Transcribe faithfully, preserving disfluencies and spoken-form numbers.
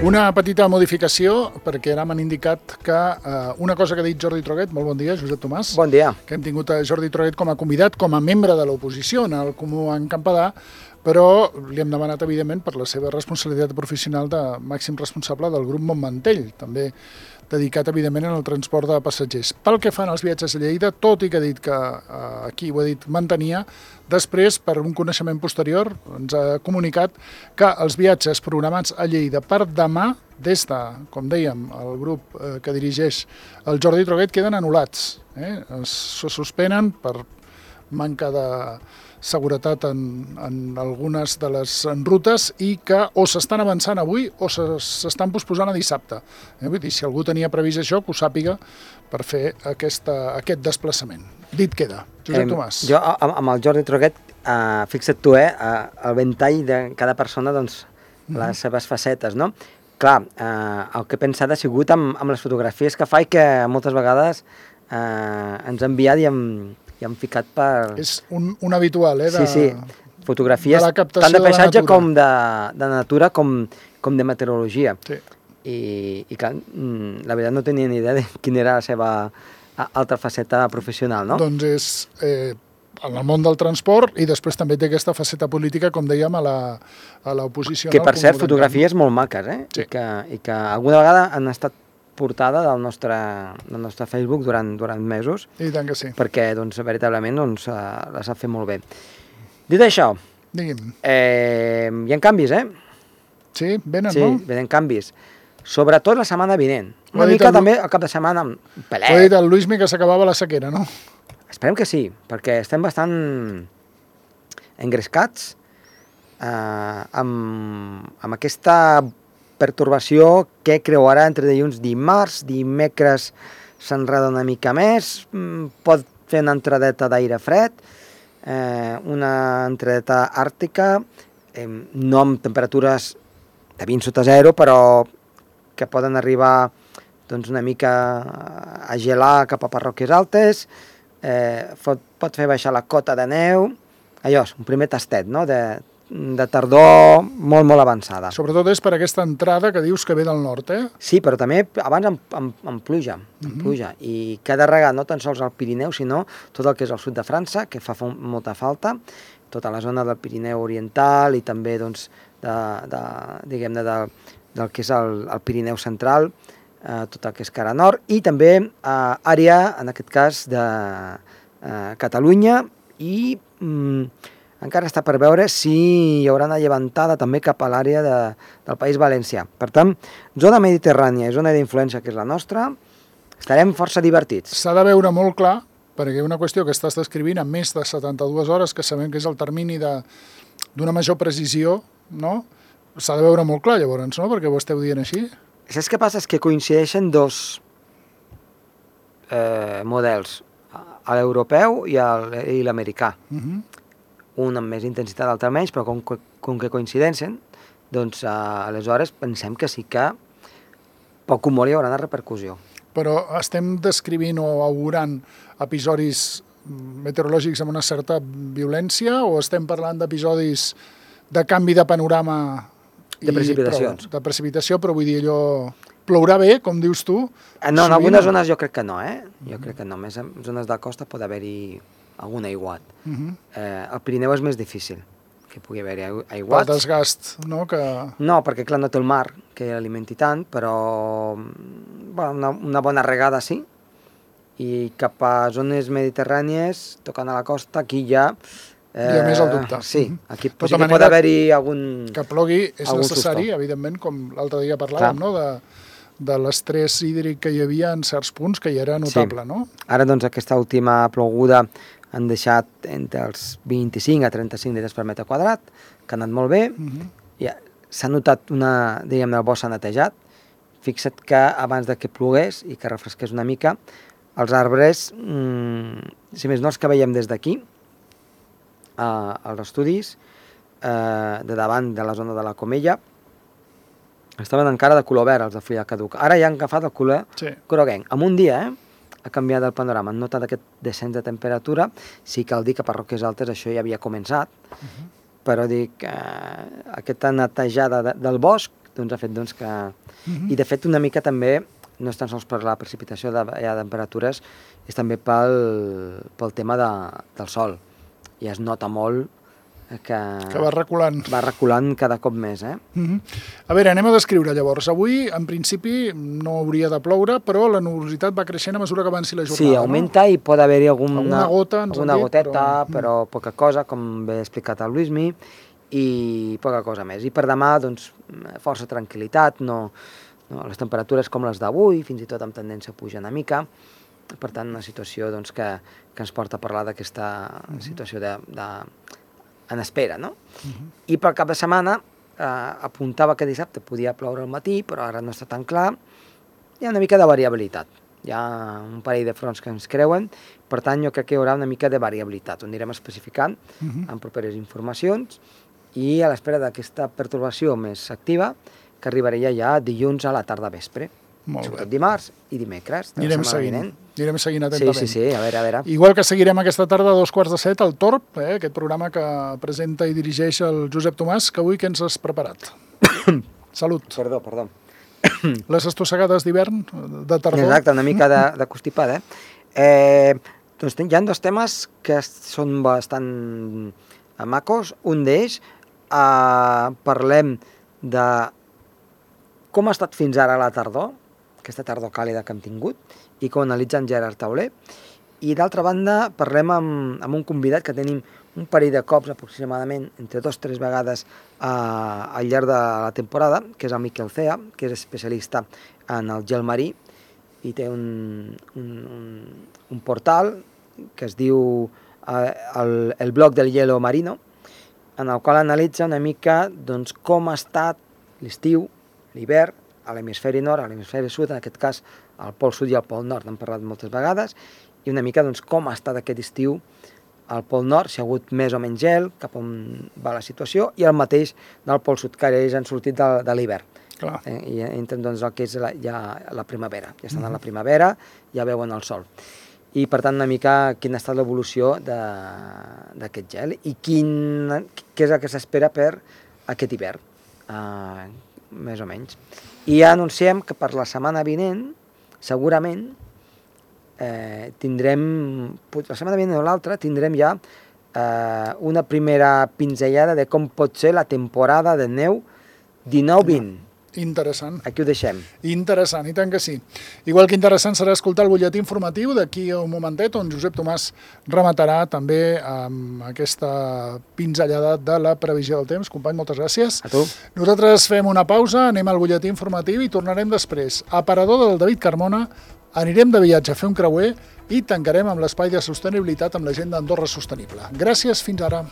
Una petita modificació, perquè ara m'han indicat que eh, una cosa que ha dit Jordi Troguet, molt bon dia, Josep Tomàs. Bon dia. Que hem tingut a Jordi Troguet com a convidat, com a membre de l'oposició en el Comú en Campedà, però li hem demanat, evidentment, per la seva responsabilitat professional de màxim responsable del grup Montmantell, també dedicat, evidentment, al transport de passatgers. Pel que fan als viatges a Lleida, tot i que ha dit que eh, aquí ho ha dit mantenia, després, per un coneixement posterior, ens ha comunicat que els viatges programats a Lleida per demà, des de, com dèiem, el grup eh, que dirigeix el Jordi Troguet, queden anul·lats. Eh? Es suspenen per manca de seguretat en, en algunes de les rutes i que o s'estan avançant avui o s'estan posposant a dissabte. Eh? Vull dir, si algú tenia previst això, que ho sàpiga per fer aquesta, aquest desplaçament. Dit queda. Josep Tomàs. Jo, amb el Jordi Troguet, eh, fixa't tu, eh, el ventall de cada persona, doncs, les mm-hmm. seves facetes, no? Clar, eh, el que he pensat ha sigut amb, amb les fotografies que fa i que moltes vegades eh, ens ha enviat i hem, i hem ficat per... És un, un habitual, eh? De, sí, sí, fotografies de la captació tant de paisatge de com de, de natura com, com de meteorologia. Sí. I, i clar, la veritat no tenia ni idea de quina era la seva altra faceta professional, no? Doncs és eh, en el món del transport i després també té aquesta faceta política, com dèiem, a l'oposició. Que, per cert, fotografies molt maques, eh? Sí. I, que, I que alguna vegada han estat portada del nostre, del nostre Facebook durant, durant mesos. I tant que sí. Perquè, doncs, veritablement, doncs, les ha fet molt bé. Dit això, digui'm. Eh, hi ha canvis, eh? Sí, venen, sí, no? Sí, venen canvis. Sobretot la setmana vinent. Una mica el... també el cap de setmana amb pelet. Ho ha dit el Luismi que s'acabava la sequera, no? Esperem que sí, perquè estem bastant engrescats eh, amb, amb aquesta pertorbació que creuarà entre dilluns i dimarts, dimecres s'enreda una mica més, pot fer una entradeta d'aire fred, eh, una entradeta àrtica, eh, no amb temperatures de vint sota zero, però que poden arribar doncs, una mica a gelar cap a parròquies altes, eh, pot, pot fer baixar la cota de neu, allò, un primer tastet, no?, de, de tardor molt, molt avançada. Sobretot és per aquesta entrada que dius que ve del nord, eh? Sí, però també abans amb, amb, amb pluja, amb uh-huh. pluja, i que ha de regar no tan sols al Pirineu, sinó tot el que és el sud de França, que fa molta falta, tota la zona del Pirineu oriental i també, doncs, de, de, diguem-ne, de, del que és el, el Pirineu central, eh, tot el que és cara nord, i també eh, àrea, en aquest cas, de eh, Catalunya, i mm, encara està per veure si hi haurà una llevantada també cap a l'àrea de, del País Valencià. Per tant, zona mediterrània i zona d'influència, que és la nostra, estarem força divertits. S'ha de veure molt clar, perquè una qüestió que estàs descrivint en més de setanta-dues hores, que sabem que és el termini d'una major precisió, no? S'ha de veure molt clar, llavors, no? Perquè ho esteu dient així. Saps què passa? És que coincideixen dos eh, models, l'europeu i l'americà. Uh-huh. Un amb més intensitat, l'altre menys, però com, com que coincideixen, doncs eh, aleshores pensem que sí que poc o molt hi haurà una repercussió. Però estem descrivint o augurant episodis meteorològics amb una certa violència o estem parlant d'episodis de canvi de panorama i de precipitacions. Prou, de precipitació, però vull dir allò... Plourà bé, com dius tu? No, en algunes zones jo crec que no, eh? Jo crec que no. Més en zones de costa pot haver-hi algun aiguat. Uh-huh. eh, el Pirineu és més difícil que pugui haver-hi aiguats. Pel desgast, no? Que... No, perquè clar, no té el mar que alimenti tant, però bueno, una, una bona regada sí, i cap a zones mediterrànies, tocant a la costa, aquí ja... Eh, Hi ha més el dubte. Sí, aquí pot, sí pot haver-hi algun... Que plogui és necessari, susto. Evidentment, com l'altre dia parlàvem, clar. No?, de, de l'estrès hídric que hi havia en certs punts, que ja era notable, sí. No? Ara, doncs, aquesta última ploguda han deixat entre els vint-i-cinc a trenta-cinc litres per metre quadrat, que ha anat molt bé. Uh-huh. Ja, s'ha notat una, diguem-ne, el bosc s'ha netejat. Fixa't que abans de que plogués i que refresqués una mica, els arbres, mmm, si més no els que veiem des d'aquí, eh, als estudis, eh, de davant de la zona de la Comella, estaven encara de color verd, els de fulla caduca. Ara ja han agafat el color sí. groguenc. En un dia, eh? ha canviat el panorama. Han notat aquest descens de temperatura. Sí cal dir que a parròquies altes això ja havia començat, uh-huh. però dic, eh, aquesta netejada de, del bosc doncs, ha fet doncs, que... Uh-huh. I de fet una mica també, no és tan sols per la precipitació de, ja, de temperatures, és també pel, pel tema de, del sol. I es nota molt que, que va reculant. Va reculant cada cop més. Eh? Uh-huh. A veure, anem a descriure llavors. Avui, en principi, no hauria de ploure, però la nubositat va creixent a mesura que avanci la jornada. Sí, augmenta, no? I pot haver-hi alguna, alguna gota, alguna dit, goteta, però... però poca cosa, com bé ha explicat el Luismi, i poca cosa més. I per demà, doncs, força tranquil·litat, no, no, les temperatures com les d'avui, fins i tot amb tendència a pujar una mica. Per tant, una situació doncs, que, que ens porta a parlar d'aquesta uh-huh. situació de, de, en espera. No? Uh-huh. I pel cap de setmana eh, apuntava que dissabte podia ploure al matí, però ara no està tan clar. Hi ha una mica de variabilitat. Hi ha un parell de fronts que ens creuen, per tant, jo crec que hi haurà una mica de variabilitat. Ho anirem especificant uh-huh. en properes informacions i a l'espera d'aquesta pertorbació més activa, que arribaria ja dilluns a la tarda vespre. Molt Sobretot bé. Dimarts i dimecres. Anirem seguint, anirem seguint atentament. Sí, sí, sí, a veure, a veure. Igual que seguirem aquesta tarda a dos quarts de set al Torb, eh, aquest programa que presenta i dirigeix el Josep Tomàs, que avui què ens has preparat? Salut. Perdó, perdó. Les estossegades d'hivern, de tardor. Exacte, una mica de, de constipada. Eh? Eh, doncs hi ha dos temes que són bastant macos. Un d'ells, eh, parlem de com ha estat fins ara la tardor, aquesta tardor càlida que hem tingut, i com analitza en Gerard Tauler. I d'altra banda, parlem amb, amb un convidat que tenim un parell de cops aproximadament, entre dos o tres vegades eh, al llarg de la temporada, que és el Miquel Cea, que és especialista en el gel marí, i té un, un, un, un portal que es diu eh, el, el blog del hielo marino, en el qual analitza una mica doncs, com ha estat l'estiu, l'hivern, a l'hemisferi nord, a l'hemisferi sud, en aquest cas al pol sud i al pol nord, n'hem parlat moltes vegades, i una mica doncs, com ha estat aquest estiu al pol nord, si ha hagut més o menys gel, cap on va la situació, i el mateix del pol sud, que ells han sortit de, de l'hivern. Eh, I entren doncs, el que és la, ja la primavera. Ja estan uh-huh. a la primavera, ja veuen el sol. I per tant una mica quina ha estat l'evolució d'aquest gel i quin, què és el que s'espera per aquest hivern, uh, més o menys. I ja anunciem que per la setmana vinent, segurament, eh, tindrem, la setmana vinent o l'altra, tindrem ja eh, una primera pinzellada de com pot ser la temporada de neu dinou vint. Interessant. Aquí ho deixem. Interessant, i tant que sí. Igual que interessant serà escoltar el butlletí informatiu d'aquí a un momentet, on Josep Tomàs rematarà també amb aquesta pinzellada de la previsió del temps. Company, moltes gràcies. A tu. Nosaltres fem una pausa, anem al butlletí informatiu i tornarem després. Aparador del David Carmona, anirem de viatge a fer un creuer i tancarem amb l'espai de sostenibilitat amb la gent d'Andorra Sostenible. Gràcies, fins ara.